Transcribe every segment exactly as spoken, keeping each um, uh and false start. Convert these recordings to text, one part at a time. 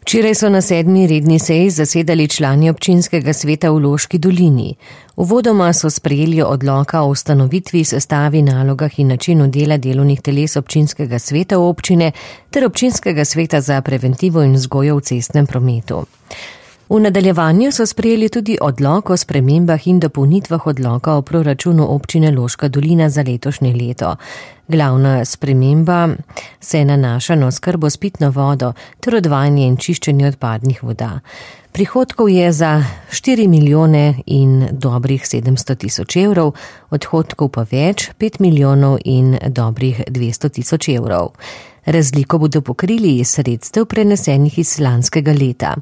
Včeraj so na sedmi redni seji zasedali člani občinskega sveta v Loški dolini. Uvodoma so sprejeli odloka o ustanovitvi, sestavi, nalogah in načinu dela delovnih teles občinskega sveta občine ter občinskega sveta za preventivo in vzgojo v cestnem prometu. V nadaljevanju so sprejeli tudi odlok o spremembah in dopolnitvah odloka o proračunu občine Loška dolina za letošnje leto. Glavna sprememba se nanaša na oskrbo s pitno vodo ter odvajanje in čiščenje odpadnih voda. Prihodkov je za štiri milijone in dobrih sedemsto tisoč evrov, odhodkov pa več, pet milijonov in dobrih dvesto tisoč evrov. Razliko bodo pokrili iz sredstev prenesenih iz lanskega leta.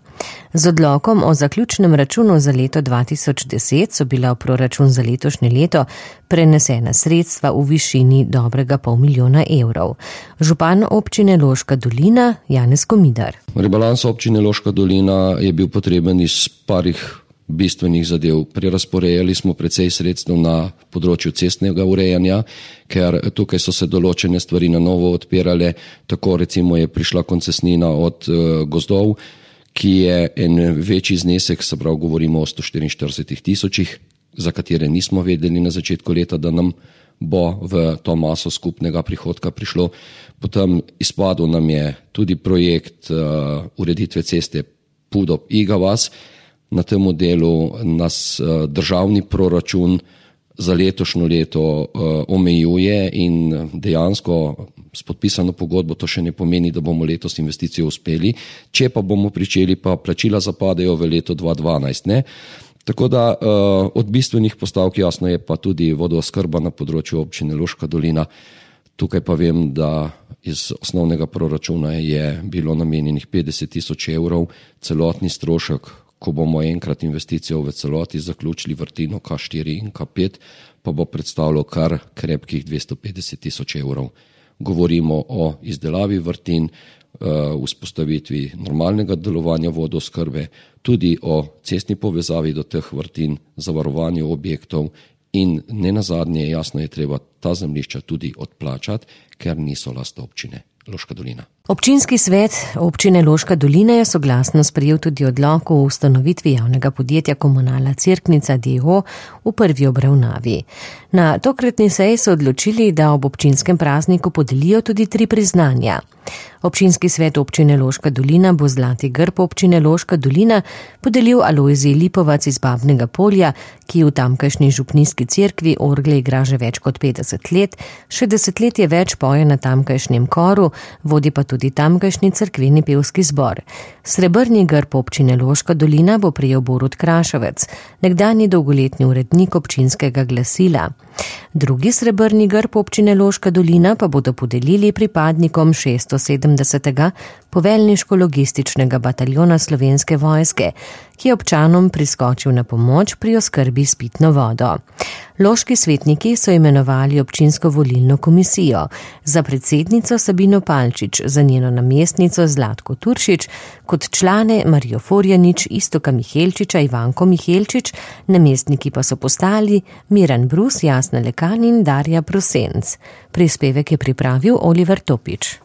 Z odlokom o zaključnem računu za leto dva tisoč deset so bila v proračun za letošnje leto prenesena sredstva v višini dobrega pol milijona evrov. Župan občine Loška dolina Janez Komidar. Rebalans občine Loška dolina je bil potreben iz parih bistvenih zadev. Prerazporejali smo precej sredstev na področju cestnega urejanja, ker tukaj so se določene stvari na novo odpirale. Tako recimo je prišla koncesnina od uh, gozdov, ki je en večji znesek, se pravi govorimo o sto štiriinštirideset tisočih, za katere nismo vedeli na začetku leta, da nam bo v to maso skupnega prihodka prišlo. Potem izpadel nam je tudi projekt uh, ureditve ceste Pudop-Iga vas. Na tem delu nas državni proračun za letošnjo leto omejuje in dejansko s podpisano pogodbo to še ne pomeni, da bomo letos investicijo uspeli. Če pa bomo pričeli, pa plačila zapadejo v leto dva dvanajst. Ne? Tako da od bistvenih postavk jasno je pa tudi vodooskrba na področju občine Loška dolina. Tukaj pa vem, da iz osnovnega proračuna je bilo namenjenih petdeset tisoč evrov, celotni strošek, ko bomo enkrat investicijo v celoti zaključili vrtino K štiri in K pet, pa bo predstavljalo kar krepkih dvesto petdeset tisoč evrov. Govorimo o izdelavi vrtin, vzpostavitvi normalnega delovanja vodooskrbe, tudi o cestni povezavi do teh vrtin, zavarovanju objektov in ne nazadnje, jasno je treba ta zemljišča tudi odplačati, ker niso last občine Loška dolina. Občinski svet občine Loška dolina je soglasno sprejel tudi odlok o ustanovitvi javnega podjetja Komunala Cerknica d. o. o. v prvi obravnavi. Na tokratni seji so odločili, da ob občinskem prazniku podelijo tudi tri priznanja. Občinski svet občine Loška dolina bo zlati grb občine Loška dolina podelil Alojziji Lipovac iz Babnega Polja, ki v tamkajšnji župnijski cerkvi orgle igra že več kot petdeset let, še desetletje več poje na tamkajšnjem koru, vodi pa tudi tamkajšnji cerkveni pevski zbor. Srebrni grb občine Loška dolina bo prejel Borut Krašovec, nekdanji dolgoletni urednik občinskega glasila. Drugi srebrni grb občine Loška dolina pa bodo podelili pripadnikom šeststosedemdesetega poveljniško-logističnega bataljona Slovenske vojske, ki je občanom priskočil na pomoč pri oskrbi s pitno vodo. Loški svetniki so imenovali občinsko volilno komisijo, za predsednico Sabino Palčič, za njeno namestnico Zlatko Turšič, kot člane Marijo Forjanič, Istoka Mihelčiča, Ivanko Mihelčič, namestniki pa so postali Miran Brus, Jasna Lekan in Darja Prosenc. Prispevek je pripravil Oliver Topič.